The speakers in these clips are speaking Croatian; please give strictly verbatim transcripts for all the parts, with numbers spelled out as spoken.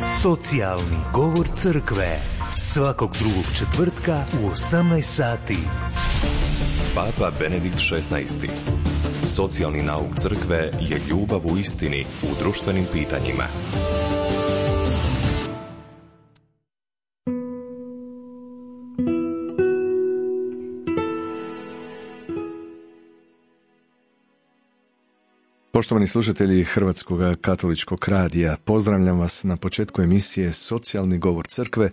Socijalni govor crkve. Svakog drugog četvrtka u osamnaest sati. Papa Benedikt šesnaesti. Socijalni nauk crkve je ljubav u istini u društvenim pitanjima. Poštovani slušatelji Hrvatskog katoličkog radija, pozdravljam vas na početku emisije Socijalni govor crkve,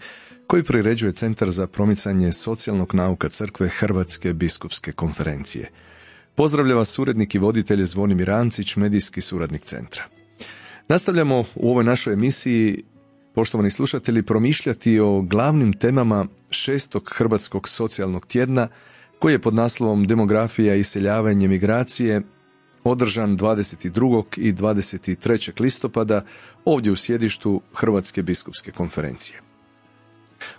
koji priređuje Centar za promicanje socijalnog nauka crkve Hrvatske biskupske konferencije. Pozdravlja vas urednik i voditelj Zvonimir Ancić, medijski suradnik centra. Nastavljamo u ovoj našoj emisiji, poštovani slušatelji, promišljati o glavnim temama šestog Hrvatskog socijalnog tjedna, koji je pod naslovom Demografija, iseljavanje, migracije, održan dvadeset drugog i dvadeset trećeg listopada ovdje u sjedištu Hrvatske biskupske konferencije.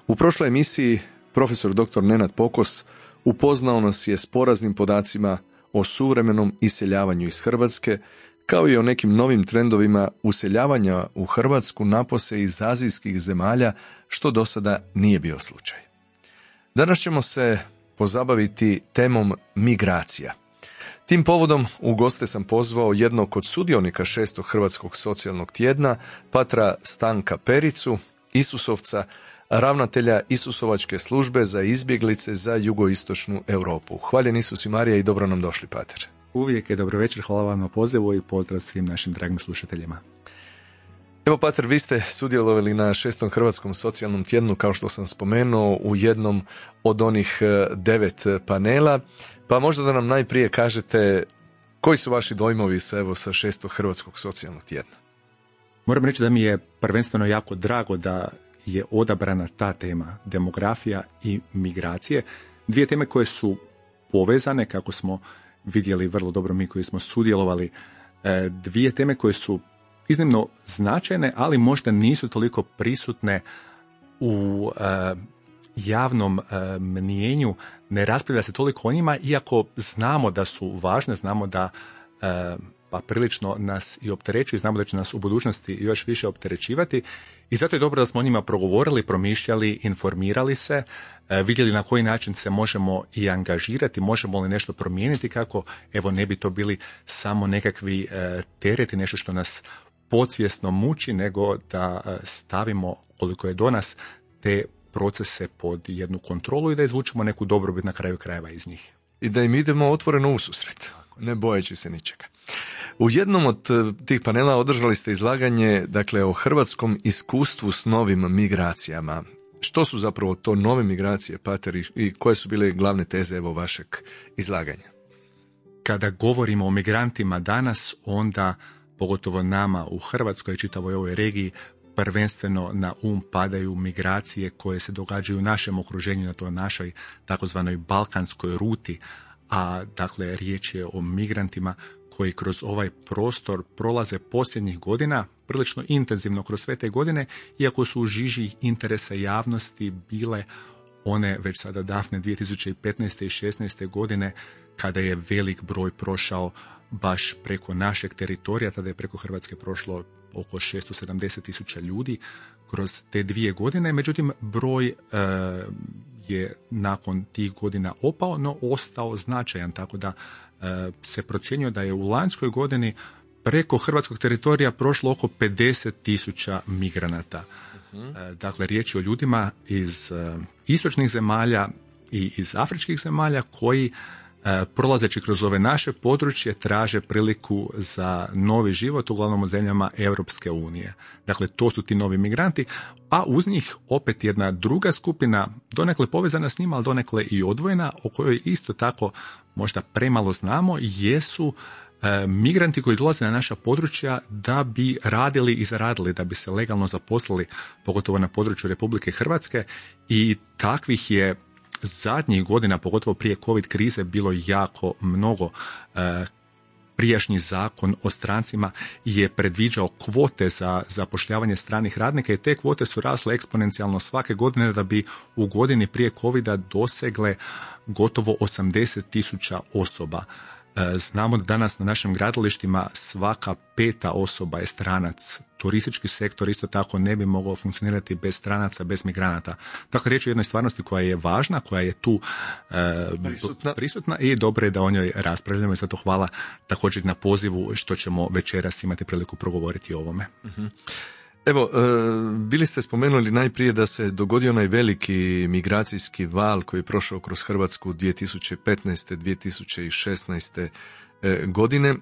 U prošloj emisiji profesor doktor Nenad Pokos upoznao nas je s poraznim podacima o suvremenom iseljavanju iz Hrvatske, kao i o nekim novim trendovima useljavanja u Hrvatsku napose iz azijskih zemalja, što do sada nije bio slučaj. Danas ćemo se pozabaviti temom migracija. Tim povodom u goste sam pozvao jednog od sudionika šestog Hrvatskog socijalnog tjedna, patra Stanka Pericu, Isusovca, ravnatelja Isusovačke službe za izbjeglice za jugoistočnu Europu. Hvaljen Isus i Marija i dobro nam došli, pater. Uvijek je dobro večer, hvala vam na pozivu i pozdrav svim našim dragim slušateljima. Evo, pater, vi ste sudjelovali na šestom Hrvatskom socijalnom tjednu, kao što sam spomenuo, u jednom od onih devet panela, pa možda da nam najprije kažete koji su vaši dojmovi sa, evo, sa šestog Hrvatskog socijalnog tjedna. Moram reći da mi je prvenstveno jako drago da je odabrana ta tema, demografija i migracije, dvije teme koje su povezane, kako smo vidjeli vrlo dobro mi koji smo sudjelovali, dvije teme koje su iznimno značajne, ali možda nisu toliko prisutne u e, javnom e, mnijenju, ne raspravlja se toliko o njima, iako znamo da su važne, znamo da e, pa prilično nas i opterećuju, znamo da će nas u budućnosti još više opterećivati i zato je dobro da smo o njima progovorili, promišljali, informirali se, e, vidjeli na koji način se možemo i angažirati, možemo li nešto promijeniti, kako evo ne bi to bili samo nekakvi e, tereti, nešto što nas podsvjesno muči, nego da stavimo koliko je do nas te procese pod jednu kontrolu i da izvučemo neku dobrobit na kraju krajeva iz njih. I da im idemo otvoreno u susret, ne bojeći se ničega. U jednom od tih panela održali ste izlaganje, dakle, o hrvatskom iskustvu s novim migracijama. Što su zapravo to nove migracije, pater, i koje su bile glavne teze evo vašeg izlaganja? Kada govorimo o migrantima danas, onda pogotovo nama u Hrvatskoj i čitavoj ovoj regiji, prvenstveno na um padaju migracije koje se događaju u našem okruženju, na toj našoj takozvanoj balkanskoj ruti, a dakle riječ je o migrantima koji kroz ovaj prostor prolaze posljednjih godina, prilično intenzivno kroz sve te godine, iako su u žiži interesa javnosti bile one već sada davne dvije tisuće petnaeste i šesnaeste godine, kada je velik broj prošao baš preko našeg teritorija, tada je preko Hrvatske prošlo oko šesto sedamdeset tisuća ljudi kroz te dvije godine, međutim broj e, je nakon tih godina opao, no ostao značajan, tako da e, se procjenjuje da je u lanjskoj godini preko hrvatskog teritorija prošlo oko pedeset tisuća migranata. Uh-huh. E, dakle, riječ je o ljudima iz e, istočnih zemalja i iz afričkih zemalja koji prolazeći kroz ove naše područje traže priliku za novi život, uglavnom u zemljama Europske unije. Dakle, to su ti novi migranti, a uz njih opet jedna druga skupina, donekle povezana s njima, ali donekle i odvojena, o kojoj isto tako možda premalo znamo, jesu e, migranti koji dolaze na naša područja da bi radili i zaradili, da bi se legalno zaposlili, pogotovo na području Republike Hrvatske, i takvih je zadnjih godina, pogotovo prije COVID krize, bilo jako mnogo. E, prijašnji zakon o strancima je predviđao kvote za zapošljavanje stranih radnika i te kvote su rasle eksponencijalno svake godine da bi u godini prije covida dosegle gotovo osamdeset tisuća osoba. Znamo da danas na našim gradilištima svaka peta osoba je stranac. Turistički sektor isto tako ne bi mogao funkcionirati bez stranaca, bez migranata. Dakle, riječ je o jednoj stvarnosti koja je važna, koja je tu e, prisutna. prisutna i dobro je da o njoj raspravljamo i zato hvala također na pozivu što ćemo večeras imati priliku progovoriti o ovome. Uh-huh. Evo, bili ste spomenuli najprije da se dogodio onaj veliki migracijski val koji je prošao kroz Hrvatsku dvije tisuće petnaeste. dvije tisuće šesnaeste. godine.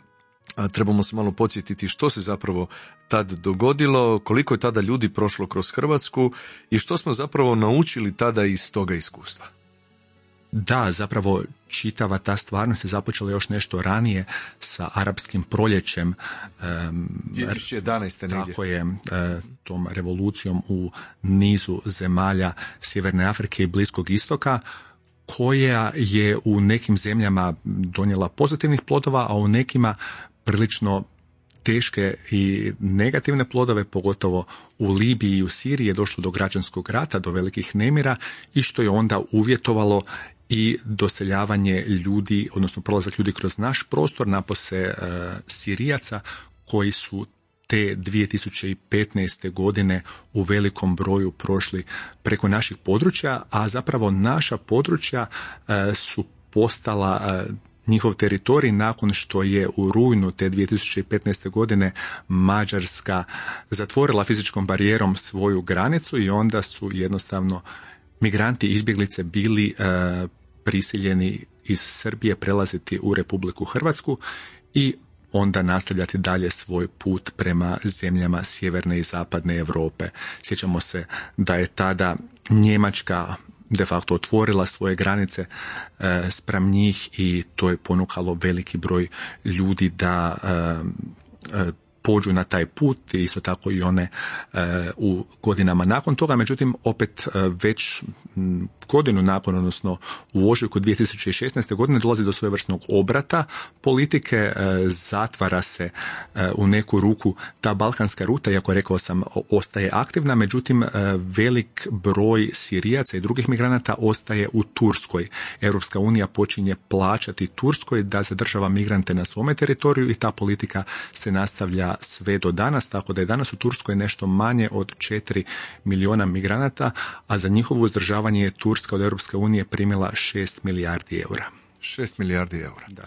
A trebamo se malo podsjetiti što se zapravo tad dogodilo, koliko je tada ljudi prošlo kroz Hrvatsku i što smo zapravo naučili tada iz toga iskustva. Da, zapravo čitava ta stvarnost je započela još nešto ranije sa arapskim proljećem. dvije tisuće jedanaeste. negdje. Tako je, tom revolucijom u nizu zemalja Sjeverne Afrike i Bliskog istoka, koja je u nekim zemljama donijela pozitivnih plodova, a u nekima prilično teške i negativne plodove, pogotovo u Libiji i u Siriji je došlo do građanskog rata, do velikih nemira i što je onda uvjetovalo i doseljavanje ljudi, odnosno prolazak ljudi kroz naš prostor, napose e, Sirijaca koji su te dvije tisuće petnaeste. godine u velikom broju prošli preko naših područja, a zapravo naša područja e, su postala e, njihov teritorij nakon što je u rujnu te dvije tisuće petnaeste. godine Mađarska zatvorila fizičkom barijerom svoju granicu i onda su jednostavno migranti i izbjeglice bili e, prisiljeni iz Srbije prelaziti u Republiku Hrvatsku i onda nastavljati dalje svoj put prema zemljama sjeverne i zapadne Europe. Sjećamo se da je tada Njemačka de facto otvorila svoje granice e, spram njih i to je ponukalo veliki broj ljudi da e, e, pođu na taj put i isto tako i one e, u godinama nakon toga. Međutim, opet e, već m, godinu nakon, odnosno u ožujku dvije tisuće šesnaeste. godine dolazi do svojevrsnog obrata politike, e, zatvara se e, u neku ruku ta balkanska ruta, iako rekao sam ostaje aktivna, međutim e, velik broj Sirijaca i drugih migranata ostaje u Turskoj. Europska unija počinje plaćati Turskoj da zadržava migrante na svome teritoriju i ta politika se nastavlja sve do danas, tako da je danas u Turskoj nešto manje od četiri milijuna migranata, a za njihovo uzdržavanje je Turska od Europske unije primila šest milijardi eura. šest milijardi eura. Da.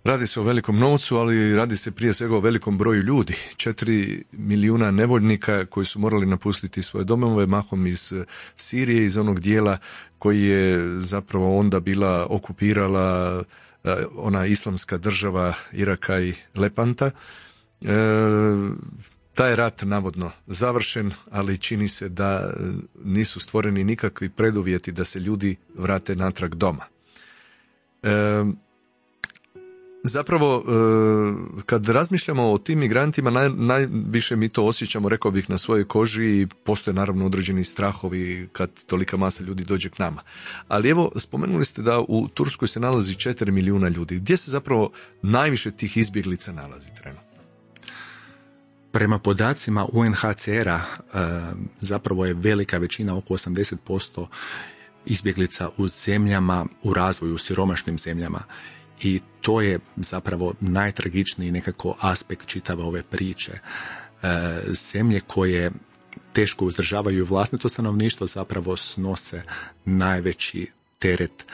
Radi se o velikom novcu, ali radi se prije svega o velikom broju ljudi. četiri milijuna nevoljnika koji su morali napustiti svoje domove, mahom iz Sirije, iz onog dijela koji je zapravo onda bila okupirala ona islamska država Iraka i Lepanta. E, taj je rat navodno završen, ali čini se da nisu stvoreni nikakvi preduvjeti da se ljudi vrate natrag doma. E, zapravo, e, kad razmišljamo o tim migrantima, naj, najviše mi to osjećamo, rekao bih, na svojoj koži i postoje naravno određeni strahovi kad tolika masa ljudi dođe k nama. Ali evo, spomenuli ste da u Turskoj se nalazi četiri milijuna ljudi. Gdje se zapravo najviše tih izbjeglica nalazi trenutno? Prema podacima U N H C R-a zapravo je velika većina, oko osamdeset posto izbjeglica u zemljama u razvoju, u siromašnim zemljama. I to je zapravo najtragičniji nekako aspekt čitave ove priče. Zemlje koje teško uzdržavaju vlastito stanovništvo zapravo snose najveći teret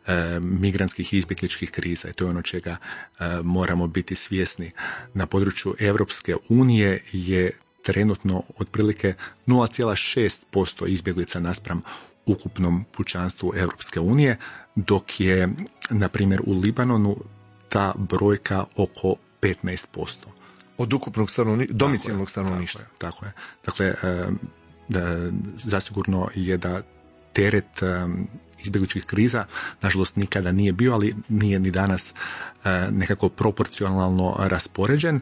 e, migrantskih i izbjegličkih kriza i to je ono čega e, moramo biti svjesni. Na području Europske unije je trenutno otprilike nula zarez šest posto izbjeglica naspram ukupnom pučanstvu Europske unije, dok je, na primjer, u Libanonu ta brojka oko petnaest posto. Od ukupnog stanovništva, domicilnog stanovništva. Tako je. Tako je. Dakle, e, da, zasigurno je da teret e, izbjegličkih kriza, nažalost, nikada nije bio, ali nije ni danas e, nekako proporcionalno raspoređen, e,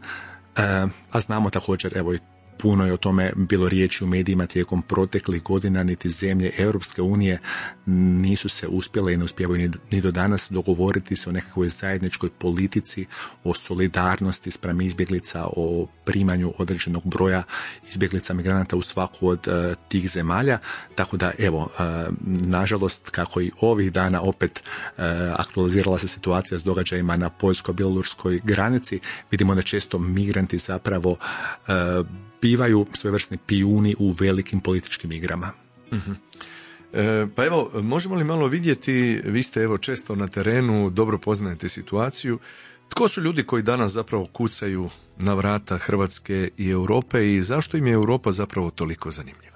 a znamo također, evo i puno je o tome bilo riječi u medijima tijekom proteklih godina, niti zemlje Europske unije nisu se uspjele i ne uspijevaju ni do danas dogovoriti se o nekakvoj zajedničkoj politici, o solidarnosti spram izbjeglica, o primanju određenog broja izbjeglica migranata u svaku od uh, tih zemalja. Tako da, evo, uh, nažalost, kako i ovih dana opet uh, aktualizirala se situacija s događajima na poljsko-bjelorusskoj granici, vidimo da često migranti zapravo uh, bivaju svojevrsni pijuni u velikim političkim igrama. Uh-huh. E, pa evo, možemo li malo vidjeti, vi ste evo često na terenu, dobro poznajete situaciju, tko su ljudi koji danas zapravo kucaju na vrata Hrvatske i Europe i zašto im je Europa zapravo toliko zanimljiva?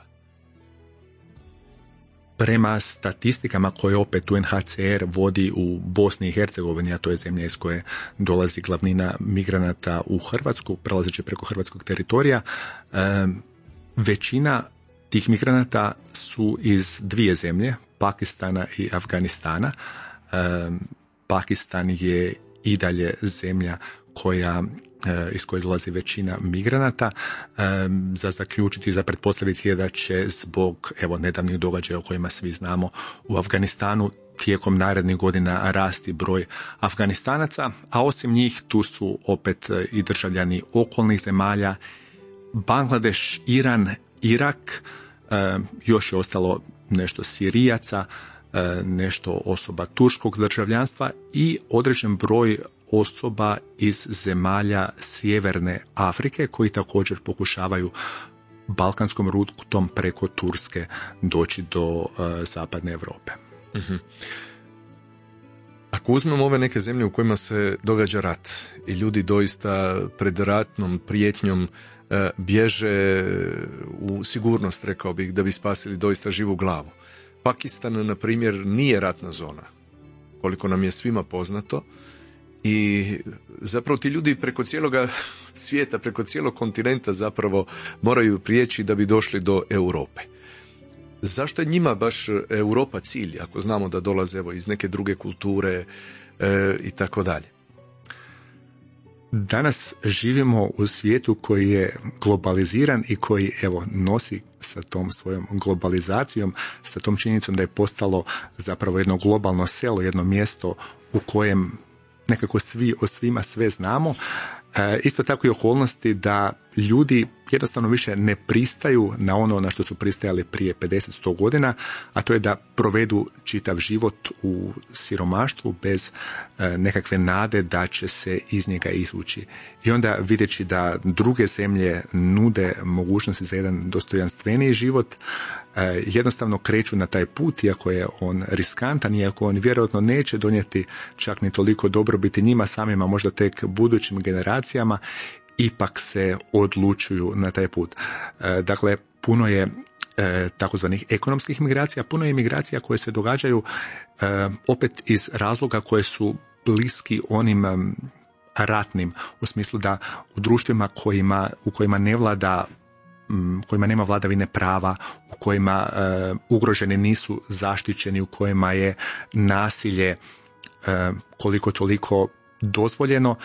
Prema statistikama koje opet U N H C R vodi u Bosni i Hercegovini, a to je zemlja iz koje dolazi glavnina migranata u Hrvatsku, prelazeći preko hrvatskog teritorija, većina tih migranata su iz dvije zemlje, Pakistana i Afganistana. Pakistan je i dalje zemlja koja iz koje dolazi većina migranata. Za zaključiti, za pretpostaviti je da će zbog evo nedavnih događaja o kojima svi znamo u Afganistanu tijekom narednih godina rasti broj Afganistanaca, a osim njih tu su opet i državljani okolnih zemalja, Bangladeš, Iran, Irak, još je ostalo nešto Sirijaca, nešto osoba turskog državljanstva i određen broj osoba iz zemalja Sjeverne Afrike koji također pokušavaju balkanskom rutom preko Turske doći do uh, zapadne Europe. Uh-huh. Ako uzmemo ove neke zemlje u kojima se događa rat i ljudi doista pred ratnom prijetnjom uh, bježe u sigurnost, rekao bih, da bi spasili doista živu glavu. Pakistan, na primjer, nije ratna zona, koliko nam je svima poznato. I zapravo ti ljudi preko cijeloga svijeta, preko cijelog kontinenta zapravo moraju prijeći da bi došli do Europe. Zašto je njima baš Europa cilj, ako znamo da dolaze evo, iz neke druge kulture e, i tako dalje? Danas živimo u svijetu koji je globaliziran i koji evo nosi sa tom svojom globalizacijom, sa tom činjenicom da je postalo zapravo jedno globalno selo, jedno mjesto u kojem nekako svi o svima sve znamo. E, isto tako i okolnosti da ljudi jednostavno više ne pristaju na ono na što su pristajali prije pedeset do sto godina, a to je da provedu čitav život u siromaštvu bez e, nekakve nade da će se iz njega izvući. I onda videći da druge zemlje nude mogućnosti za jedan dostojanstveniji život, e, jednostavno kreću na taj put, iako je on riskantan, iako on vjerojatno neće donijeti čak ni toliko dobrobiti njima samima, možda tek budućim generacijama, ipak se odlučuju na taj put. E, dakle, puno je e, takozvanih ekonomskih migracija, puno je migracija koje se događaju e, opet iz razloga koje su bliski onim um, ratnim, u smislu da u društvima kojima, u kojima ne vlada um, kojima nema vladavine prava, u kojima uh, ugroženi nisu zaštićeni, u kojima je nasilje uh, koliko toliko dozvoljeno, uh,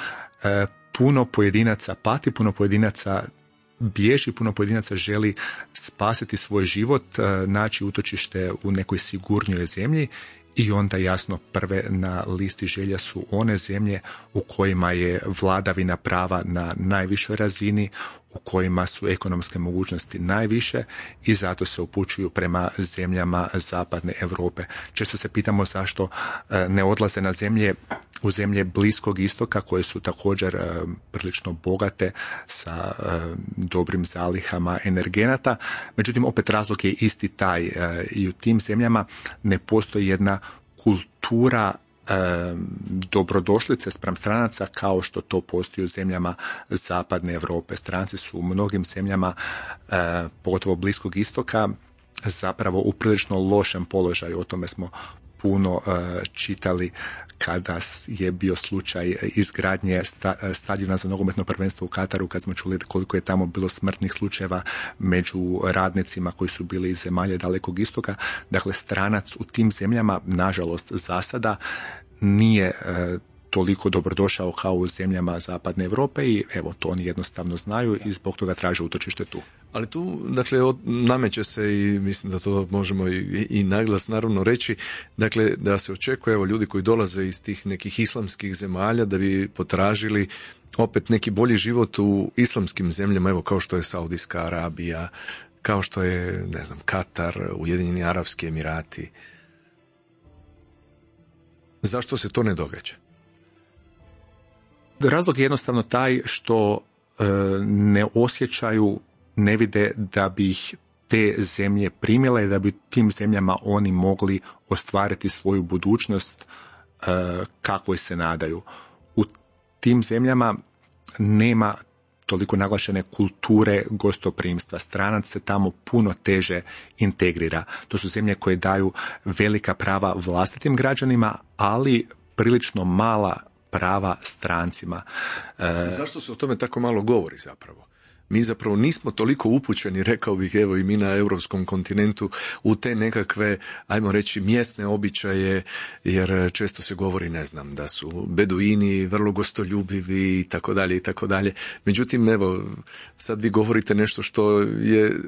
puno pojedinaca pati, puno pojedinaca bježi, puno pojedinaca želi spasiti svoj život, naći utočište u nekoj sigurnijoj zemlji i onda jasno prve na listi želja su one zemlje u kojima je vladavina prava na najvišoj razini, u kojima su ekonomske mogućnosti najviše i zato se upućuju prema zemljama zapadne Europe. Često se pitamo zašto ne odlaze na zemlje u zemlje Bliskog istoka koje su također prilično bogate sa dobrim zalihama energenata. Međutim, opet razlog je isti taj. I u tim zemljama ne postoji jedna kultura dobrodošlice spram stranaca kao što to postoji u zemljama zapadne Europe. Stranci su u mnogim zemljama, pogotovo Bliskog istoka, zapravo u prilično lošem položaju. O tome smo puno uh, čitali kada je bio slučaj izgradnje sta, stadiona za nogometno prvenstvo u Kataru, kad smo čuli koliko je tamo bilo smrtnih slučajeva među radnicima koji su bili iz zemalja Dalekog istoka. Dakle, stranac u tim zemljama, nažalost, za sada nije uh, toliko dobrodošao kao u zemljama Zapadne Europe i evo, to oni jednostavno znaju i zbog toga traže utočište tu. Ali tu, dakle, od, nameće se i mislim da to možemo i, i naglas naravno reći, dakle, da se očekuje, evo, ljudi koji dolaze iz tih nekih islamskih zemalja da bi potražili opet neki bolji život u islamskim zemljama, evo, kao što je Saudijska Arabija, kao što je, ne znam, Katar, Ujedinjeni Arapski Emirati. Zašto se to ne događa? Razlog je jednostavno taj što e, ne osjećaju, ne vide da bi ih te zemlje primile i da bi u tim zemljama oni mogli ostvariti svoju budućnost e, kakvoj se nadaju. U tim zemljama nema toliko naglašene kulture gostoprimstva. Stranac se tamo puno teže integrira. To su zemlje koje daju velika prava vlastitim građanima, ali prilično mala prava strancima. E... Zašto se o tome tako malo govori zapravo? Mi zapravo nismo toliko upućeni, rekao bih, evo i mi na europskom kontinentu, u te nekakve, ajmo reći, mjesne običaje, jer često se govori, ne znam, da su beduini vrlo gostoljubivi i tako dalje i tako dalje. Međutim, evo, sad vi govorite nešto što je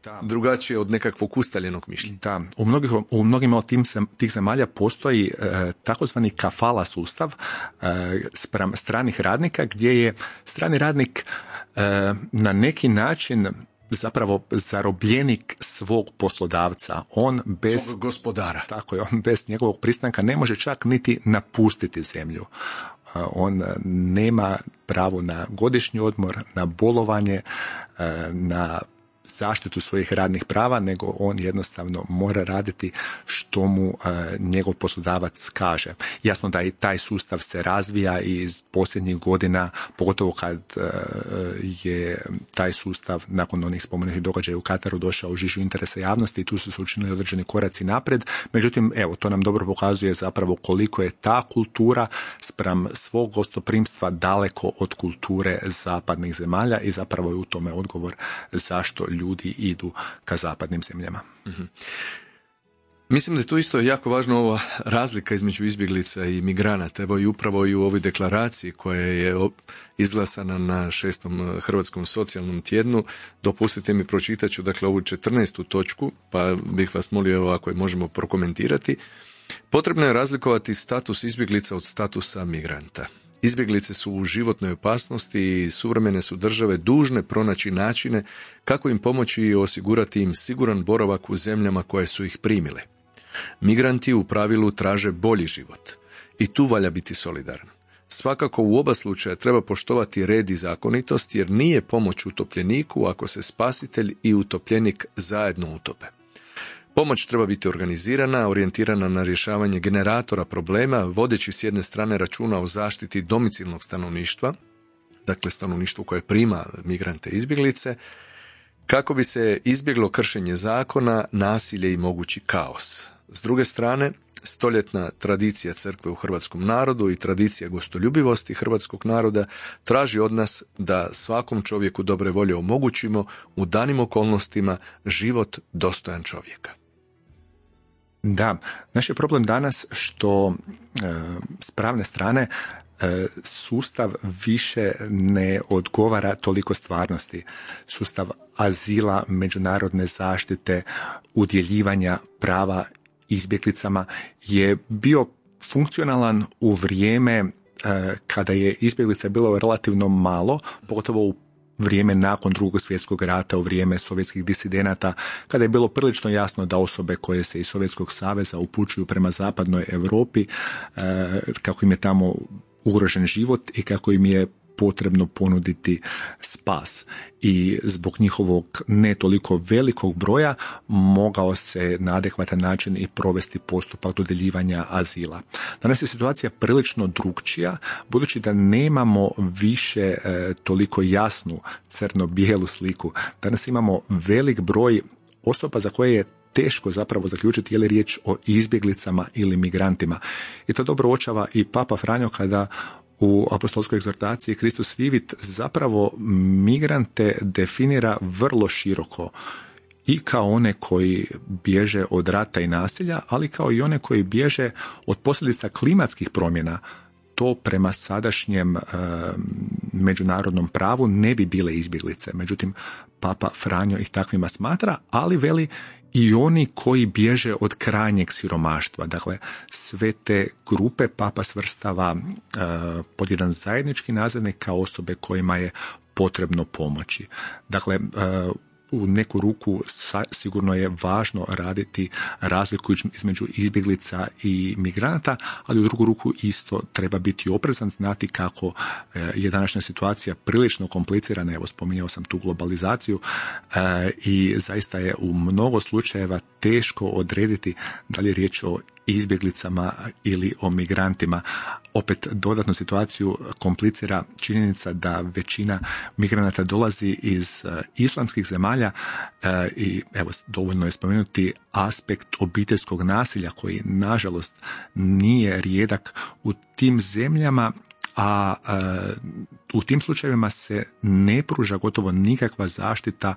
da. drugačije od nekakvog ustaljenog mišljenja. Da, u, mnogih, u mnogim od tim, tih zemalja postoji e, takozvani kafala sustav e, spram stranih radnika, gdje je strani radnik e, na neki način zapravo zarobljenik svog poslodavca. On bez svog gospodara. Tako je, on bez njegovog pristanka ne može čak niti napustiti zemlju. On nema pravo na godišnji odmor, na bolovanje, na zaštitu svojih radnih prava, nego on jednostavno mora raditi što mu e, njegov poslodavac kaže. Jasno da i taj sustav se razvija iz posljednjih godina, pogotovo kad e, je taj sustav nakon onih spomenutih događaja u Kataru došao u žižu interesa javnosti i tu su se učinili određeni koraci napred. Međutim, evo, to nam dobro pokazuje zapravo koliko je ta kultura spram svog gostoprimstva daleko od kulture zapadnih zemalja i zapravo je u tome odgovor zašto ljudi idu ka zapadnim zemljama. Mm-hmm. Mislim da je tu isto jako važna ova razlika između izbjeglica i migranata. Evo i upravo i u ovoj deklaraciji koja je izglasana na šestom Hrvatskom socijalnom tjednu. Dopustite mi, pročitat ću dakle ovu četrnaestu točku, pa bih vas molio evo ako je možemo prokomentirati. Potrebno je razlikovati status izbjeglica od statusa migranta. Izbjeglice su u životnoj opasnosti i suvremene su države dužne pronaći načine kako im pomoći i osigurati im siguran boravak u zemljama koje su ih primile. Migranti u pravilu traže bolji život i tu valja biti solidaran. Svakako u oba slučaja treba poštovati red i zakonitost jer nije pomoć utopljeniku ako se spasitelj i utopljenik zajedno utope. Pomoć treba biti organizirana, orijentirana na rješavanje generatora problema, vodeći s jedne strane računa o zaštiti domicilnog stanovništva, dakle stanovništvo koje prima migrante i izbjeglice, kako bi se izbjeglo kršenje zakona, nasilje i mogući kaos. S druge strane, stoljetna tradicija crkve u hrvatskom narodu i tradicija gostoljubivosti hrvatskog naroda traži od nas da svakom čovjeku dobre volje omogućimo u danim okolnostima život dostojan čovjeka. Da, naš je problem danas što e, s pravne strane e, sustav više ne odgovara toliko stvarnosti. Sustav azila, međunarodne zaštite, udjeljivanja prava izbjeglicama je bio funkcionalan u vrijeme e, kada je izbjeglica bilo relativno malo, pogotovo u vrijeme nakon Drugog svjetskog rata, u vrijeme sovjetskih disidenata, kada je bilo prilično jasno da osobe koje se iz Sovjetskog saveza upućuju prema zapadnoj Europi, e, kako im je tamo ugrožen život i kako im je potrebno ponuditi spas. I zbog njihovog ne toliko velikog broja mogao se na adekvatan način i provesti postupak dodjeljivanja azila. Danas je situacija prilično drukčija, budući da nemamo više e, toliko jasnu crno-bijelu sliku. Danas imamo velik broj osoba za koje je teško zapravo zaključiti je li riječ o izbjeglicama ili migrantima. I to dobro uočava i Papa Franjo kada u apostolskoj egzortaciji Kristus Vivit zapravo migrante definira vrlo široko i kao one koji bježe od rata i nasilja, ali kao i one koji bježe od posljedica klimatskih promjena, to prema sadašnjem e, međunarodnom pravu ne bi bile izbjeglice. Međutim, Papa Franjo ih takvima smatra, ali veli i oni koji bježe od krajnjeg siromaštva. Dakle, sve te grupe Papa svrstava e, pod jedan zajednički nazivnik kao osobe kojima je potrebno pomoći. Dakle, e, u neku ruku sigurno je važno raditi razliku između izbjeglica i migranata, ali u drugu ruku isto treba biti oprezan, znati kako je današnja situacija prilično komplicirana. Evo, spominjao sam tu globalizaciju i zaista je u mnogo slučajeva teško odrediti da li je riječ o izbjeglicama ili o migrantima. Opet dodatnu situaciju komplicira činjenica da većina migranata dolazi iz uh, islamskih zemalja uh, i evo, dovoljno je spomenuti aspekt obiteljskog nasilja koji nažalost nije rijedak u tim zemljama, a uh, u tim slučajevima se ne pruža gotovo nikakva zaštita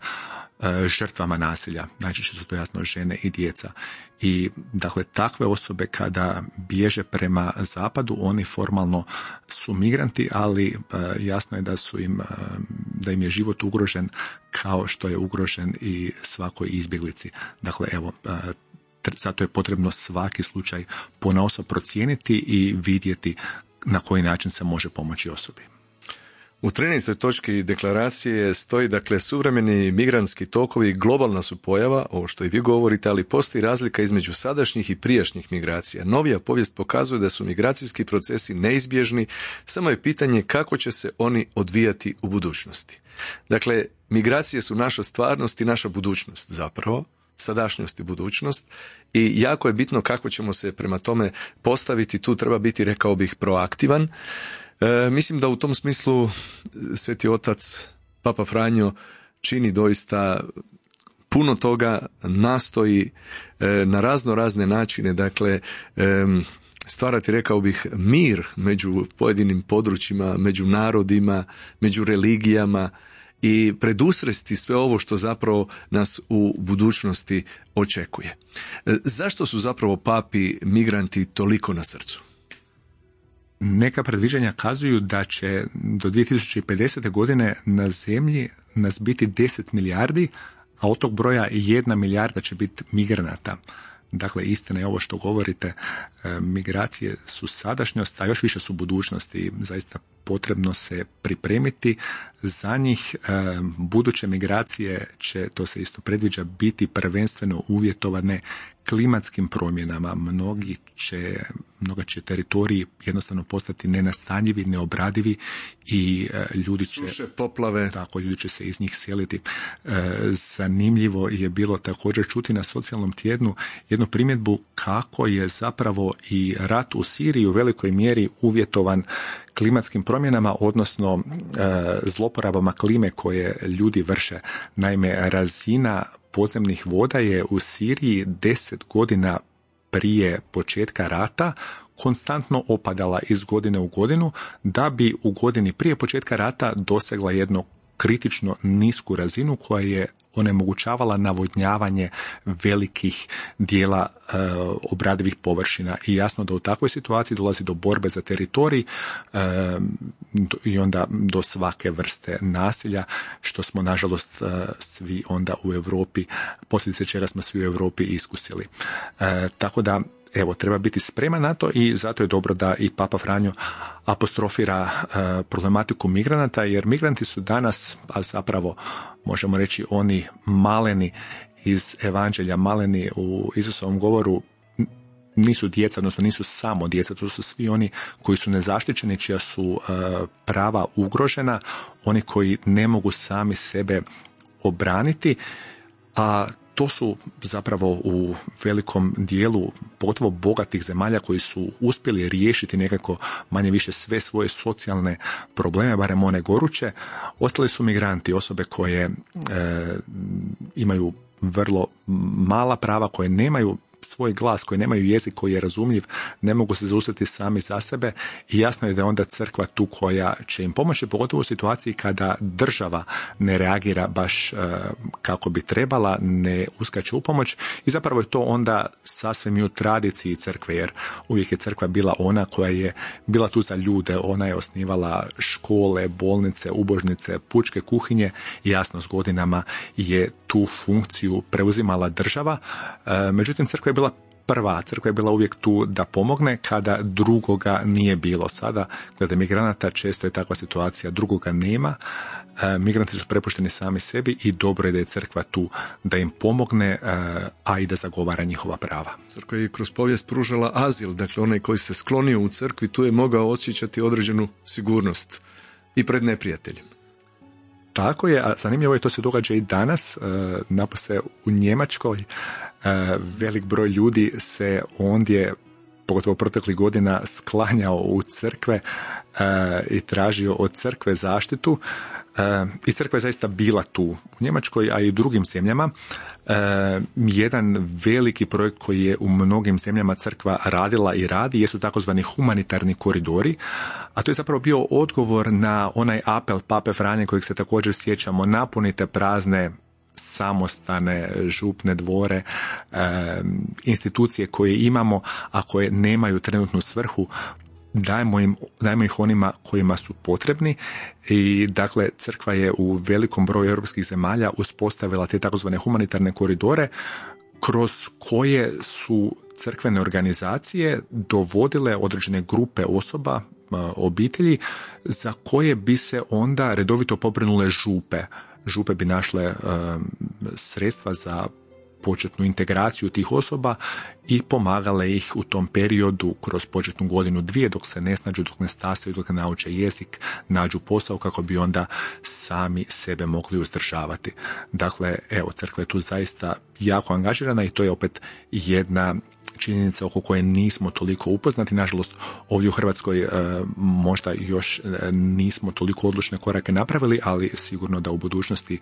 žrtvama nasilja. Najčešće su to jasno žene i djeca. I dakle, takve osobe kada bježe prema zapadu, oni formalno su migranti, ali jasno je da su im, da im je život ugrožen kao što je ugrožen i svakoj izbjeglici. Dakle, evo, zato je potrebno svaki slučaj ponaosob procijeniti i vidjeti na koji način se može pomoći osobi. U trinaestoj točki deklaracije stoji, dakle, suvremeni migrantski tokovi globalna su pojava, ovo što i vi govorite, ali postoji razlika između sadašnjih i prijašnjih migracija. Novija povijest pokazuje da su migracijski procesi neizbježni, samo je pitanje kako će se oni odvijati u budućnosti. Dakle, migracije su naša stvarnost i naša budućnost zapravo, sadašnjost i budućnost, i jako je bitno kako ćemo se prema tome postaviti. Tu treba biti, rekao bih, proaktivan. E, mislim da u tom smislu Sveti Otac, Papa Franjo, čini doista puno toga, nastoji e, na razno razne načine, dakle, e, stvarati, rekao bih, mir među pojedinim područjima, među narodima, među religijama i predusresti sve ovo što zapravo nas u budućnosti očekuje. E, zašto su zapravo papi migranti toliko na srcu? Neka predviđanja kazuju da će do dvije tisuće pedesete. godine na zemlji nas biti deset milijardi, a od tog broja jedna milijarda će biti migranata. Dakle, istina je ovo što govorite, migracije su sadašnjost, a još više su budućnosti. Zaista potrebno se pripremiti za njih. Buduće migracije će, to se isto predviđa, biti prvenstveno uvjetovane klimatskim promjenama. Mnogi će, mnoga će teritoriji jednostavno postati nenastanjivi, neobradivi i ljudi će... Suše, poplave. Tako, ljudi će se iz njih seliti. Zanimljivo je bilo također čuti na socijalnom tjednu jednu primjedbu kako je zapravo i rat u Siriji u velikoj mjeri uvjetovan klimatskim promjenama, odnosno zloporabama klime koje ljudi vrše. Naime, razina podzemnih voda je u Siriji deset godina prije početka rata konstantno opadala iz godine u godinu, da bi u godini prije početka rata dosegla jednu kritično nisku razinu koja je onemogućavala navodnjavanje velikih dijela e, obradivih površina. I jasno da u takvoj situaciji dolazi do borbe za teritorij e, i onda do svake vrste nasilja, što smo nažalost e, svi onda u Europi, posljedice čega smo svi u Europi iskusili. E, tako da, evo, treba biti spreman na to i zato je dobro da i Papa Franjo apostrofira uh, problematiku migranata, jer migranti su danas, a zapravo možemo reći oni maleni iz evanđelja, maleni u Isusovom govoru, nisu djeca, odnosno nisu samo djeca, to su svi oni koji su nezaštićeni, čija su uh, prava ugrožena, oni koji ne mogu sami sebe obraniti, a to su zapravo u velikom dijelu pogotovo bogatih zemalja koji su uspjeli riješiti nekako manje više sve svoje socijalne probleme, barem one goruće. Ostali su migranti, osobe koje e, imaju vrlo mala prava, koje nemaju svoj glas, koji nemaju jezik koji je razumljiv, ne mogu se zaustati sami za sebe i jasno je da je onda crkva tu koja će im pomoći, pogotovo u situaciji kada država ne reagira baš uh, kako bi trebala, ne uskače u pomoć i zapravo je to onda sasvim i u tradiciji crkve, jer uvijek je crkva bila ona koja je bila tu za ljude, ona je osnivala škole, bolnice, ubožnice, pučke kuhinje i jasno s godinama je tu funkciju preuzimala država. E, međutim, crkva je bila prva, crkva je bila uvijek tu da pomogne kada drugoga nije bilo. Sada, glede migranata, često je takva situacija, drugoga nema, e, migranti su prepušteni sami sebi i dobro je da je crkva tu da im pomogne, e, a i da zagovara njihova prava. Crkva je kroz povijest pružala azil, dakle onaj koji se sklonio u crkvi tu je mogao osjećati određenu sigurnost i pred neprijateljem. Tako je, a zanimljivo je, to se događa i danas, e, napose u Njemačkoj. E, velik broj ljudi se ondje, pogotovo proteklih godina, sklanjao u crkve e, i tražio od crkve zaštitu. E, I crkva je zaista bila tu u Njemačkoj, a i u drugim zemljama. E, jedan veliki projekt koji je u mnogim zemljama crkva radila i radi jesu takozvani humanitarni koridori, a to je zapravo bio odgovor na onaj apel Pape Franje kojeg se također sjećamo: napunite prazne samostane, župne dvore, e, institucije koje imamo, a koje nemaju trenutnu svrhu, dajmo, im, dajmo ih onima kojima su potrebni. I dakle, crkva je u velikom broju europskih zemalja uspostavila te takozvane humanitarne koridore kroz koje su crkvene organizacije dovodile određene grupe osoba, obitelji, za koje bi se onda redovito pobrinule župe. Župe bi našle um, sredstva za početnu integraciju tih osoba i pomagale ih u tom periodu kroz početnu godinu, dvije, dok se ne snađu, dok ne stasaju, dok ne nauče jezik, nađu posao kako bi onda sami sebe mogli uzdržavati. Dakle, evo, crkva je tu zaista jako angažirana i to je opet jedna činjenica oko koje nismo toliko upoznati. Nažalost, ovdje u Hrvatskoj e, možda još nismo toliko odlučne korake napravili, ali sigurno da u budućnosti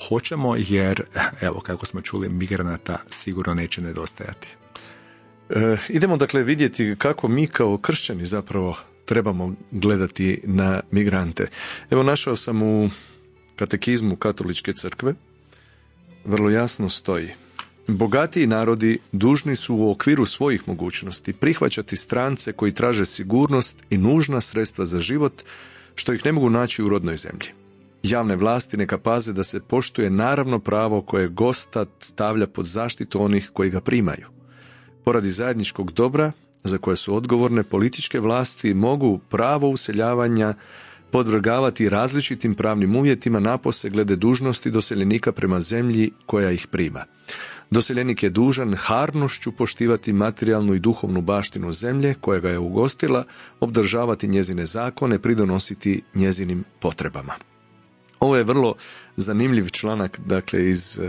hoćemo, jer, evo, kako smo čuli, migranata sigurno neće nedostajati. E, idemo dakle vidjeti kako mi kao kršćani zapravo trebamo gledati na migrante. Evo, našao sam u katekizmu Katoličke crkve, vrlo jasno stoji: bogatiji narodi dužni su u okviru svojih mogućnosti prihvaćati strance koji traže sigurnost i nužna sredstva za život, što ih ne mogu naći u rodnoj zemlji. Javne vlasti neka paze da se poštuje naravno pravo koje gosta stavlja pod zaštitu onih koji ga primaju. Poradi zajedničkog dobra, za koje su odgovorne, političke vlasti mogu pravo useljavanja podvrgavati različitim pravnim uvjetima, napose glede dužnosti doseljenika prema zemlji koja ih prima. Doseljenik je dužan harnošću poštivati materijalnu i duhovnu baštinu zemlje koja ga je ugostila, obdržavati njezine zakone, pridonositi njezinim potrebama. Ovo je vrlo zanimljiv članak, dakle, iz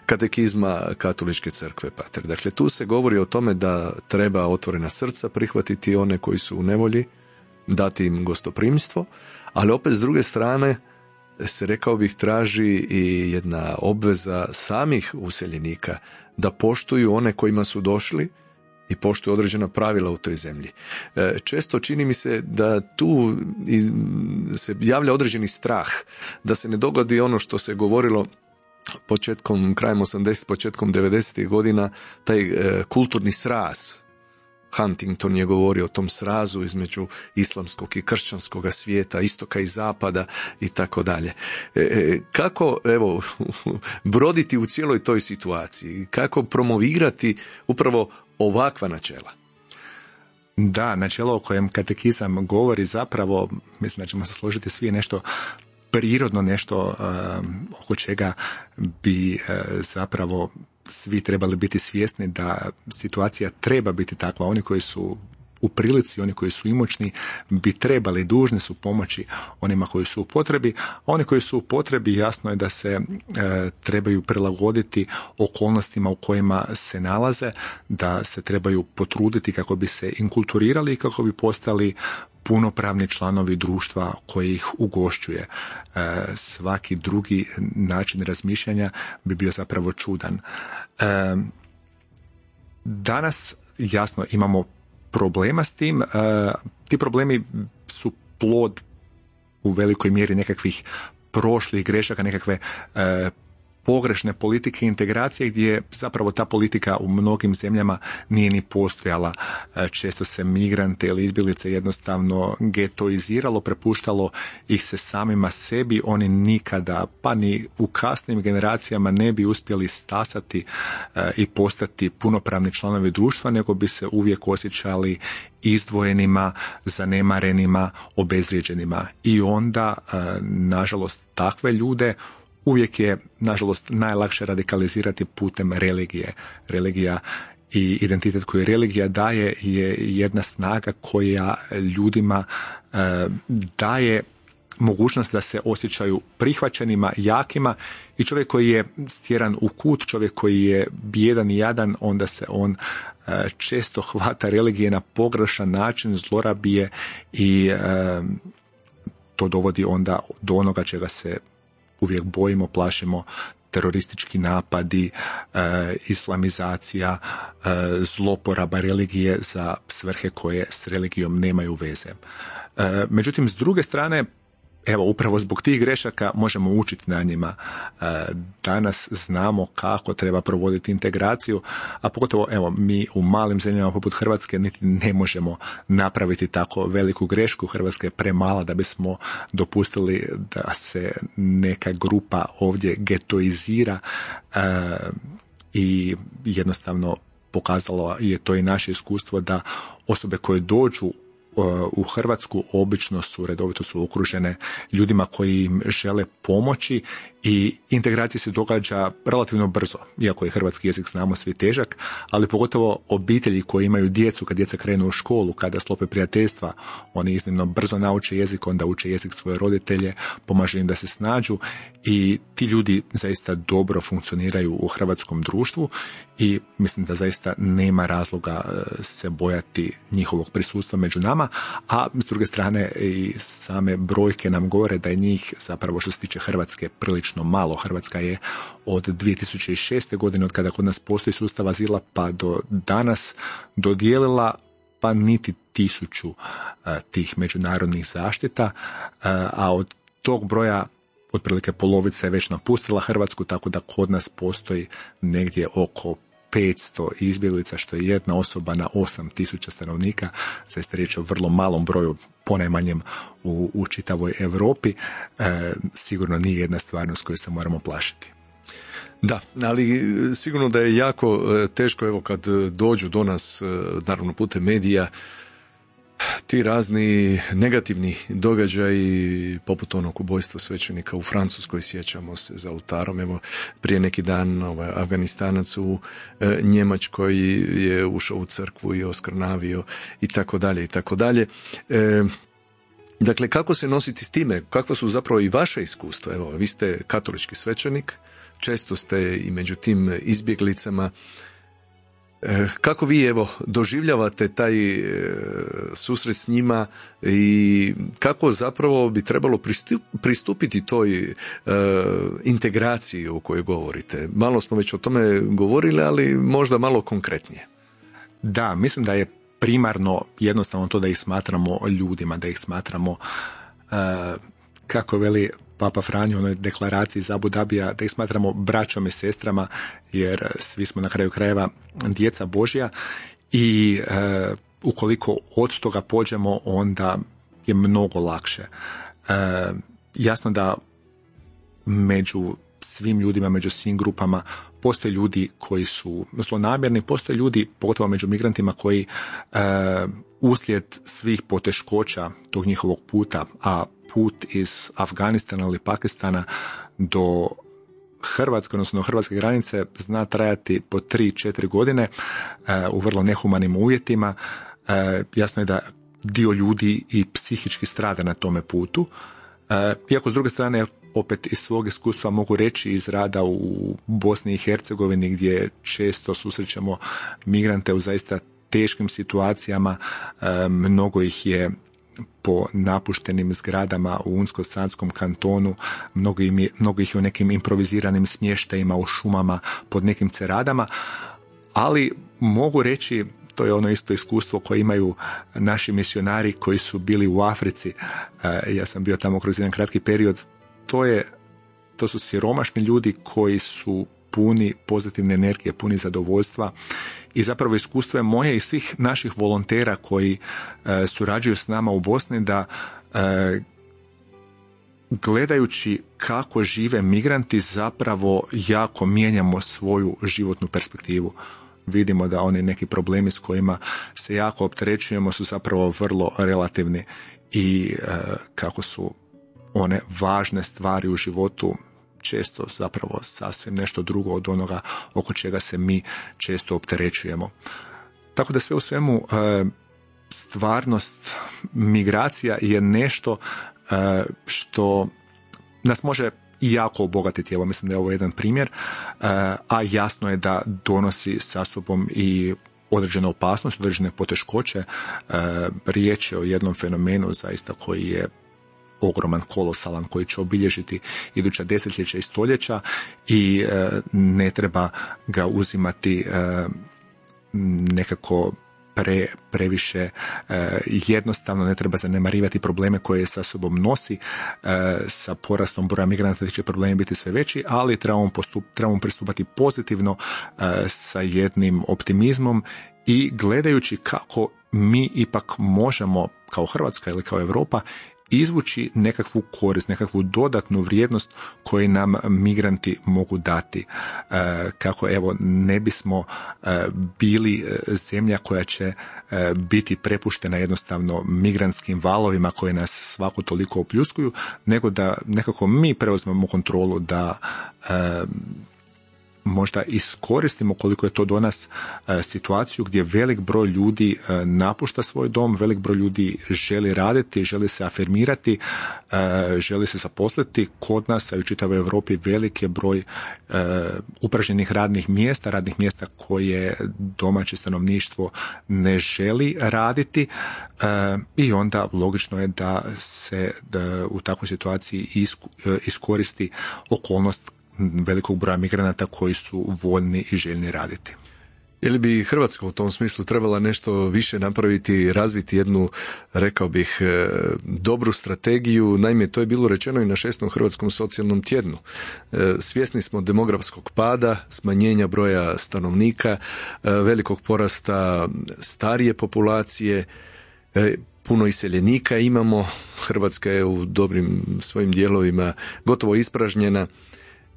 katekizma Katoličke crkve, pater. Dakle, tu se govori o tome da treba otvorena srca prihvatiti one koji su u nevolji, dati im gostoprimstvo, ali opet s druge strane se, rekao bih, traži i jedna obveza samih useljenika da poštuju one kojima su došli i poštuju određena pravila u toj zemlji. Često čini mi se da tu se javlja određeni strah, da se ne dogodi ono što se govorilo početkom, krajem osamdesetih, početkom devedesetih godina, taj kulturni sraz. Huntington je govorio o tom srazu između islamskog i kršćanskog svijeta, istoka i zapada i tako dalje. Kako, evo, broditi u cijeloj toj situaciji? Kako promovirati upravo ovakva načela? Da, načelo o kojem katekizam govori zapravo, mislim da ćemo se složiti svi, nešto prirodno, nešto um, oko čega bi uh, zapravo svi trebali biti svjesni da situacija treba biti takva. Oni koji su u prilici, oni koji su imućni bi trebali, dužni su pomoći onima koji su u potrebi, a oni koji su u potrebi, jasno je da se e, trebaju prilagoditi okolnostima u kojima se nalaze, da se trebaju potruditi kako bi se inkulturirali i kako bi postali punopravni članovi društva koji ih ugošćuje. E, svaki drugi način razmišljanja bi bio zapravo čudan. E, Danas, jasno, imamo problema s tim. Ti problemi su plod u velikoj mjeri nekakvih prošlih grešaka, nekakve pogrešne politike integracije gdje zapravo ta politika u mnogim zemljama nije ni postojala. Često se migrante ili izbjeglice jednostavno getoiziralo, prepuštalo ih se samima sebi. Oni nikada, pa ni u kasnim generacijama ne bi uspjeli stasati i postati punopravni članovi društva, nego bi se uvijek osjećali izdvojenima, zanemarenima, obezvrijeđenima. I onda, nažalost, takve ljude uvijek je, nažalost, najlakše radikalizirati putem religije. Religija i identitet koji religija daje je jedna snaga koja ljudima e, daje mogućnost da se osjećaju prihvaćenima, jakima, i čovjek koji je stjeran u kut, čovjek koji je bijedan i jadan, onda se on e, često hvata religije na pogrešan način, zlorabije i e, to dovodi onda do onoga čega se uvijek bojimo, plašimo: teroristički napadi, e, islamizacija, e, zloporaba religije za svrhe koje s religijom nemaju veze. E, međutim, s druge strane, evo, upravo zbog tih grešaka možemo učiti na njima. E, danas znamo kako treba provoditi integraciju, a pogotovo, evo, mi u malim zemljama poput Hrvatske niti ne možemo napraviti tako veliku grešku. Hrvatska je premala da bismo dopustili da se neka grupa ovdje getoizira e, i jednostavno pokazalo je to i naše iskustvo da osobe koje dođu u Hrvatsku obično su, redovito su okružene ljudima koji im žele pomoći i integracija se događa relativno brzo, iako je hrvatski jezik, znamo, svi težak, ali pogotovo obitelji koji imaju djecu, kad djeca krenu u školu, kada sklope prijateljstva, oni iznimno brzo nauče jezik, onda uče jezik svoje roditelje, pomaže im da se snađu i ti ljudi zaista dobro funkcioniraju u hrvatskom društvu i mislim da zaista nema razloga se bojati njihovog prisustva među nama, a s druge strane i same brojke nam govore da je njih zapravo, što se tiče Hrvatske, prilično malo. Hrvatska je od dvije tisuće šeste. godine, od kada kod nas postoji sustav azila, pa do danas dodijelila pa niti tisuću uh, tih međunarodnih zaštita, uh, a od tog broja otprilike polovica je već napustila Hrvatsku, tako da kod nas postoji negdje oko petsto izbjeglica, što je jedna osoba na osam tisuća stanovnika. Zaista riječ o vrlo malom broju, ponajmanjem u, u čitavoj Europi. E, sigurno nije jedna stvarnost koju se moramo plašiti. Da, ali sigurno da je jako teško, evo, kad dođu do nas, naravno putem medija, ti razni negativni događaji, poput onog ubojstva svećenika u Francuskoj, sjećamo se, za oltarom. Evo, prije neki dan ovaj, Afganistanac u e, Njemačkoj je ušao u crkvu i oskrnavio i tako dalje i tako dalje. E, dakle, kako se nositi s time? Kakva su zapravo i vaša iskustva? Evo, vi ste katolički svećenik, često ste i među tim izbjeglicama. Kako vi, evo, doživljavate taj e, susret s njima i kako zapravo bi trebalo pristup, pristupiti toj e, integraciji o kojoj govorite? Malo smo već o tome govorili, ali možda malo konkretnije. Da, mislim da je primarno jednostavno to da ih smatramo ljudima, da ih smatramo, e, kako veli Papa Franjo u onoj deklaraciji iz Abu Dabija, da ih smatramo braćom i sestrama, jer svi smo na kraju krajeva djeca Božja i e, ukoliko od toga pođemo, onda je mnogo lakše. E, jasno da među svim ljudima, među svim grupama postoje ljudi koji su zlonamjerni, postoje ljudi, pogotovo među migrantima, koji e, uslijed svih poteškoća tog njihovog puta, a put iz Afganistana ili Pakistana do Hrvatske, odnosno do hrvatske granice, zna trajati po tri četiri godine e, u vrlo nehumanim uvjetima. E, jasno je da dio ljudi i psihički strada na tome putu. E, iako s druge strane, opet iz svog iskustva mogu reći iz rada u Bosni i Hercegovini, gdje često susrećemo migrante u zaista teškim situacijama, e, mnogo ih je po napuštenim zgradama u Unsko-Sanskom kantonu, mnogo, im je, mnogo ih je u nekim improviziranim smještajima u šumama pod nekim ceradama, ali mogu reći, to je ono isto iskustvo koje imaju naši misionari koji su bili u Africi. Ja sam bio tamo kroz jedan kratki period. To je, to su siromašni ljudi koji su puni pozitivne energije, puni zadovoljstva i zapravo iskustvo je moje i svih naših volontera koji e, surađuju s nama u Bosni da e, gledajući kako žive migranti zapravo jako mijenjamo svoju životnu perspektivu. Vidimo da oni neki problemi s kojima se jako opterećujemo su zapravo vrlo relativni i e, kako su one važne stvari u životu često zapravo sasvim nešto drugo od onoga oko čega se mi često opterećujemo. Tako da sve u svemu stvarnost migracija je nešto što nas može jako obogatiti. Evo, mislim da je ovo jedan primjer, a jasno je da donosi sa sobom i određene opasnosti, određene poteškoće. Riječ je o jednom fenomenu zaista koji je ogroman, kolosalan, koji će obilježiti iduća desetljeća i stoljeća i e, ne treba ga uzimati e, nekako pre, previše e, jednostavno, ne treba zanemarivati probleme koje sa sobom nosi. E, sa porastom broja migranata će problemi biti sve veći, ali trebamo, postup, trebamo pristupati pozitivno e, sa jednim optimizmom i gledajući kako mi ipak možemo kao Hrvatska ili kao Europa izvući nekakvu korist, nekakvu dodatnu vrijednost koju nam migranti mogu dati. E, kako evo ne bismo e, bili zemlja koja će e, biti prepuštena jednostavno migrantskim valovima koje nas svako toliko opljuskuju, nego da nekako mi preuzmemo kontrolu da e, možda iskoristimo koliko je to do nas e, situaciju gdje velik broj ljudi e, napušta svoj dom, velik broj ljudi želi raditi, želi se afirmirati, e, želi se zaposliti. Kod nas, a i u čitavoj Europi, velik je broj e, upražnjenih radnih mjesta, radnih mjesta koje domaće stanovništvo ne želi raditi e, i onda logično je da se da u takvoj situaciji isku, e, iskoristi okolnost velikog broja migranata koji su voljni i željni raditi. Je li bi Hrvatska u tom smislu trebala nešto više napraviti, razviti jednu, rekao bih, dobru strategiju? Naime, to je bilo rečeno i na šestom Hrvatskom socijalnom tjednu. Svjesni smo demografskog pada, smanjenja broja stanovnika, velikog porasta starije populacije, puno iseljenika imamo, Hrvatska je u dobrim svojim dijelovima gotovo ispražnjena.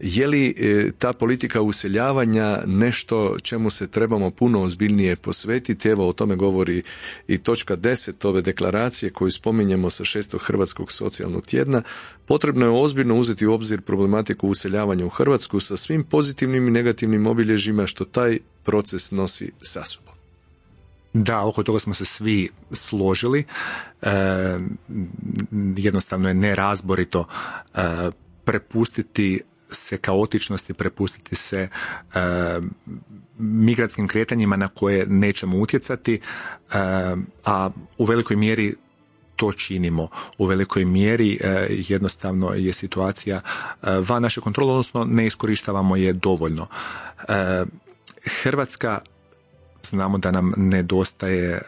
Je li ta politika useljavanja nešto čemu se trebamo puno ozbiljnije posvetiti? Evo, o tome govori i točka deset ove deklaracije koju spominjemo sa šestog Hrvatskog socijalnog tjedna. Potrebno je ozbiljno uzeti u obzir problematiku useljavanja u Hrvatsku sa svim pozitivnim i negativnim obilježjima što taj proces nosi sa sobom. Da, oko toga smo se svi složili. E, jednostavno je nerazborito e, prepustiti se kaotičnosti, prepustiti se e, migrantskim kretanjima na koje nećemo utjecati, e, a u velikoj mjeri to činimo. U velikoj mjeri e, jednostavno je situacija e, van naše kontrole, odnosno ne iskorištavamo je dovoljno. E, Hrvatska, znamo da nam nedostaje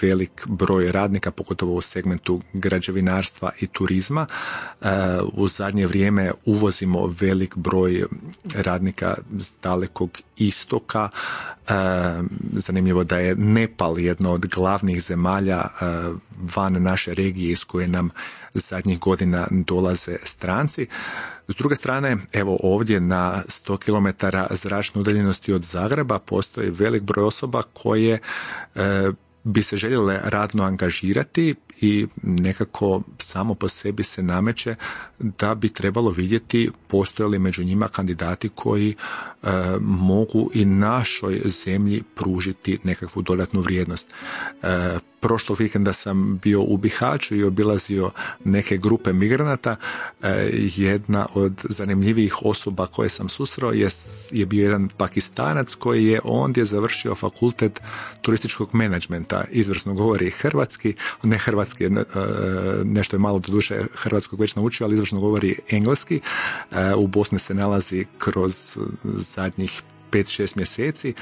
velik broj radnika, pogotovo u segmentu građevinarstva i turizma. U zadnje vrijeme uvozimo velik broj radnika s dalekog istoka. Zanimljivo da je Nepal jedna od glavnih zemalja van naše regije iz koje nam zadnjih godina dolaze stranci. S druge strane, evo ovdje na sto kilometara zračne udaljenosti od Zagreba postoji velik broj osoba koje e, bi se željele radno angažirati i nekako samo po sebi se nameće da bi trebalo vidjeti postoje li među njima kandidati koji e, mogu i našoj zemlji pružiti nekakvu dodatnu vrijednost. E, prošlog vikenda sam bio u Bihaću i obilazio neke grupe migranata. E, jedna od zanimljivijih osoba koje sam susreo je, je bio jedan Pakistanac koji je ondje završio fakultet turističkog menadžmenta. Izvrsno govori hrvatski, ne hrvatski, nešto je malo do duše hrvatskog već naučio, ali izvršno govori engleski. U Bosni se nalazi kroz zadnjih pet šest mjeseci.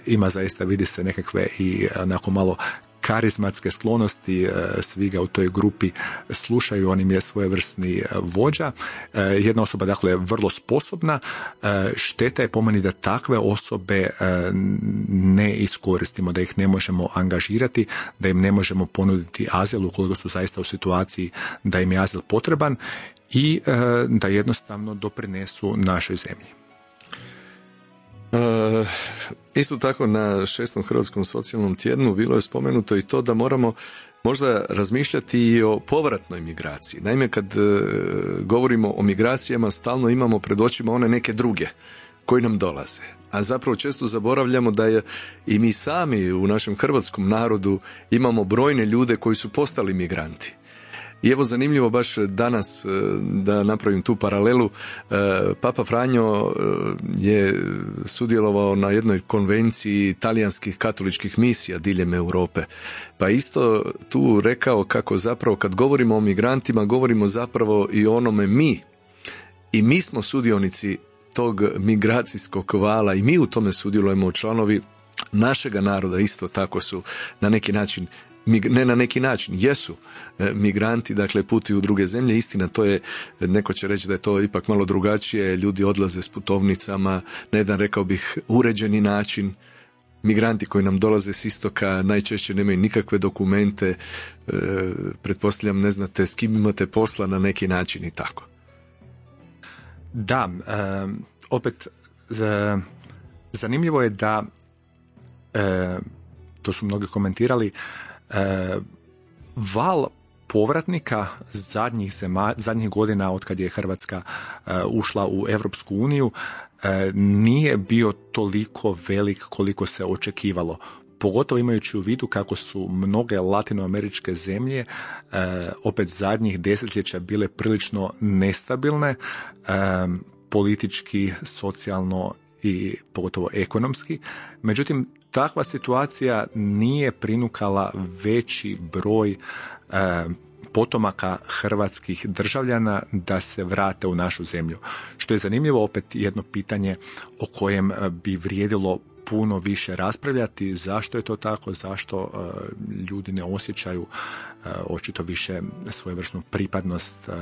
Ima zaista, vidi se nekakve i onako malo karizmatske sklonosti, svi ga u toj grupi slušaju, on im je svojevrsni vođa. Jedna osoba, dakle, vrlo sposobna. Šteta je po meni da takve osobe ne iskoristimo, da ih ne možemo angažirati, da im ne možemo ponuditi azil ukoliko su zaista u situaciji da im je azil potreban i da jednostavno doprinesu našoj zemlji. E, isto tako na šestom Hrvatskom socijalnom tjednu bilo je spomenuto i to da moramo možda razmišljati i o povratnoj migraciji. Naime, kad e, govorimo o migracijama, stalno imamo pred očima one neke druge koji nam dolaze. A zapravo često zaboravljamo da je i mi sami u našem hrvatskom narodu imamo brojne ljude koji su postali migranti. I evo zanimljivo baš danas da napravim tu paralelu, Papa Franjo je sudjelovao na jednoj konvenciji talijanskih katoličkih misija diljem Europe. Pa isto tu rekao kako zapravo kad govorimo o migrantima, govorimo zapravo i o onome mi. I mi smo sudionici tog migracijskog vala i mi u tome sudjelujemo, članovi našega naroda isto tako su na neki način, ne na neki način, jesu migranti, dakle putuju u druge zemlje. Istina, to je, neko će reći da je to ipak malo drugačije, ljudi odlaze s putovnicama na jedan, rekao bih, uređeni način. Migranti koji nam dolaze s istoka najčešće nemaju nikakve dokumente, e, pretpostavljam ne znate s kim imate posla na neki način i tako. Da, e, opet za, zanimljivo je da e, to su mnogi komentirali, e, val povratnika zadnjih, zema, zadnjih godina od kad je Hrvatska e, ušla u Europsku uniju e, nije bio toliko velik koliko se očekivalo. Pogotovo imajući u vidu kako su mnoge latinoameričke zemlje e, opet zadnjih desetljeća bile prilično nestabilne, e, politički, socijalno i pogotovo ekonomski. Međutim, takva situacija nije prinukala veći broj e, potomaka hrvatskih državljana da se vrate u našu zemlju. Što je zanimljivo, opet jedno pitanje o kojem bi vrijedilo puno više raspravljati, zašto je to tako, zašto uh, ljudi ne osjećaju uh, očito više svojevrsnu pripadnost uh,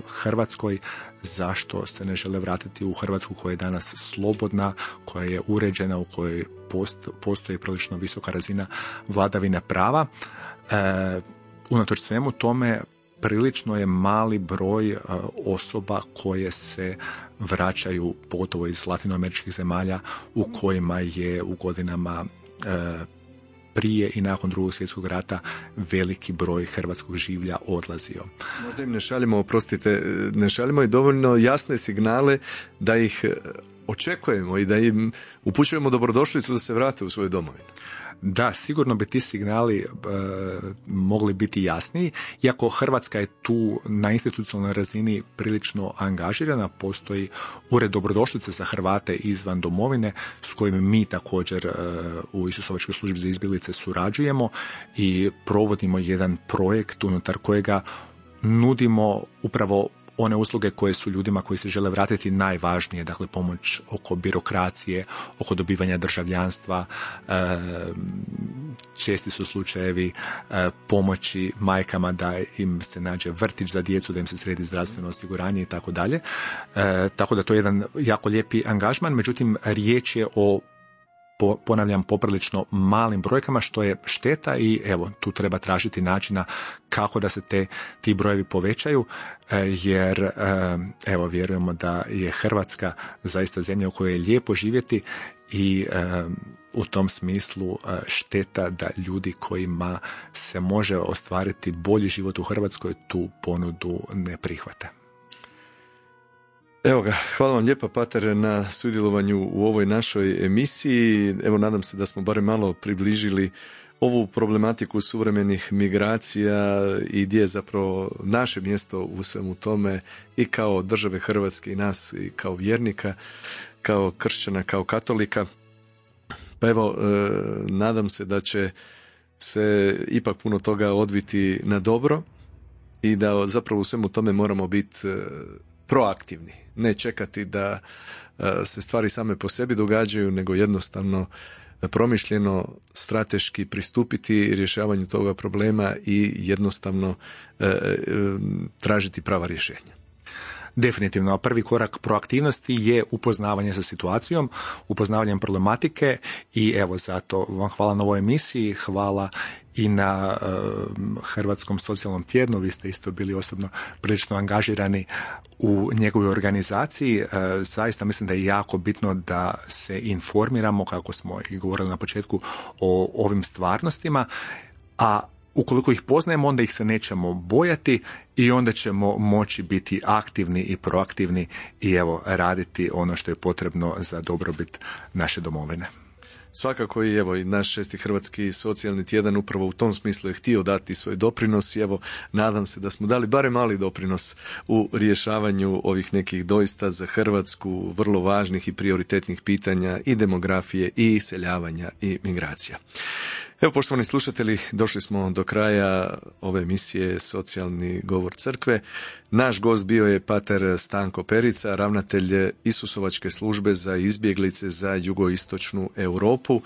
Hrvatskoj, zašto se ne žele vratiti u Hrvatsku koja je danas slobodna, koja je uređena, u kojoj post, postoji prilično visoka razina vladavine prava. Uh, unatoč svemu tome, prilično je mali broj uh, osoba koje se vraćaju, pogotovo iz latinoameričkih zemalja u kojima je u godinama uh, prije i nakon Drugog svjetskog rata veliki broj hrvatskog življa odlazio. Možda im ne šaljemo, oprostite, ne šaljemo i dovoljno jasne signale da ih očekujemo i da im upućujemo dobrodošlicu da se vrate u svoju domovinu. Da, sigurno bi ti signali e, mogli biti jasniji, iako Hrvatska je tu na institucionalnoj razini prilično angažirana, postoji ured dobrodošlice za Hrvate izvan domovine s kojim mi također e, u Isusovačkoj službi za izbjeglice surađujemo i provodimo jedan projekt unutar kojega nudimo upravo one usluge koje su ljudima koji se žele vratiti najvažnije, dakle pomoć oko birokracije, oko dobivanja državljanstva, česti su slučajevi pomoći majkama da im se nađe vrtić za djecu, da im se sredi zdravstveno osiguranje i tako dalje. Tako da to je jedan jako lijepi angažman, međutim riječ je o Po, ponavljam, poprilično malim brojkama, što je šteta i evo, tu treba tražiti načina kako da se te, ti brojevi povećaju, jer evo, vjerujemo da je Hrvatska zaista zemlja u kojoj je lijepo živjeti i u tom smislu šteta da ljudi kojima se može ostvariti bolji život u Hrvatskoj tu ponudu ne prihvate. Evo ga, hvala vam lijepa, pater, na sudjelovanju u ovoj našoj emisiji. Evo, nadam se da smo barem malo približili ovu problematiku suvremenih migracija i gdje je zapravo naše mjesto u svemu tome i kao države Hrvatske i nas i kao vjernika, kao kršćana, kao katolika. Pa evo, nadam se da će se ipak puno toga odviti na dobro i da zapravo u svemu tome moramo biti proaktivni, ne čekati da se stvari same po sebi događaju, nego jednostavno promišljeno, strateški pristupiti rješavanju toga problema i jednostavno e, e, tražiti prava rješenja. Definitivno, prvi korak proaktivnosti je upoznavanje sa situacijom, upoznavanjem problematike i evo zato vam hvala na ovoj emisiji, hvala i na uh, Hrvatskom socijalnom tjednu, vi ste isto bili osobno prilično angažirani u njegovoj organizaciji. Uh, zaista mislim da je jako bitno da se informiramo, kako smo i govorili na početku, o ovim stvarnostima, a ukoliko ih poznajemo, onda ih se nećemo bojati i onda ćemo moći biti aktivni i proaktivni i evo raditi ono što je potrebno za dobrobit naše domovine. Svakako i evo i naš šesti Hrvatski socijalni tjedan upravo u tom smislu je htio dati svoj doprinos i evo nadam se da smo dali barem mali doprinos u rješavanju ovih nekih doista za Hrvatsku vrlo važnih i prioritetnih pitanja i demografije i iseljavanja i migracija. Evo, poštovani slušatelji, došli smo do kraja ove emisije Socijalni govor crkve. Naš gost bio je pater Stanko Perica, ravnatelj Isusovačke službe za izbjeglice za jugoistočnu Europu.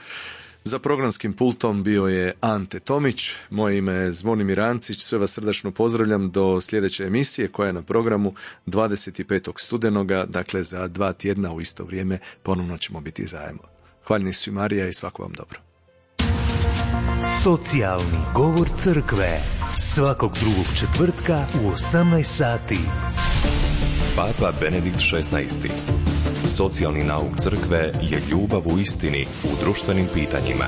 Za programskim pultom bio je Ante Tomić, moje ime je Zvonimir Ancić, sve vas srdačno pozdravljam do sljedeće emisije koja je na programu dvadeset petog studenoga, dakle za dva tjedna u isto vrijeme ponovno ćemo biti zajedno. Hvaljeni su Marija i svako vam dobro. Socijalni govor crkve svakog drugog četvrtka u osamnaest sati. Papa Benedikt šesnaesti. Socijalni nauk crkve je ljubav u istini u društvenim pitanjima.